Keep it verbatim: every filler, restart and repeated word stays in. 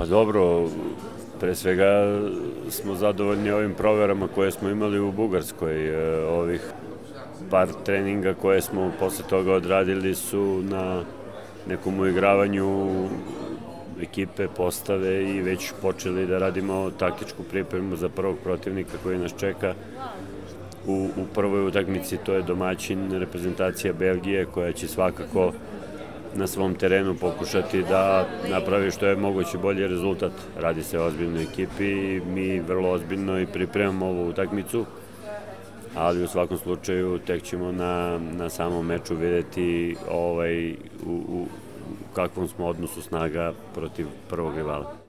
Pa dobro, pre svega smo zadovoljni ovim proverama koje smo imali u Bugarskoj. Ovih par treninga koje smo posle toga odradili su na nekom uigravanju ekipe, postave i već počeli da radimo taktičku pripremu za prvog protivnika koji nas čeka u, u prvoj utakmici. To je domaćin reprezentacija Belgije koja će svakako na svom terenu pokušati da napravi što je moguće bolji rezultat. Radi se o ozbiljnoj ekipi i mi vrlo ozbiljno i pripremamo ovu utakmicu, ali u svakom slučaju tek ćemo na, na samom meču videti ovaj, u, u kakvom smo odnosu snaga protiv prvog rivala.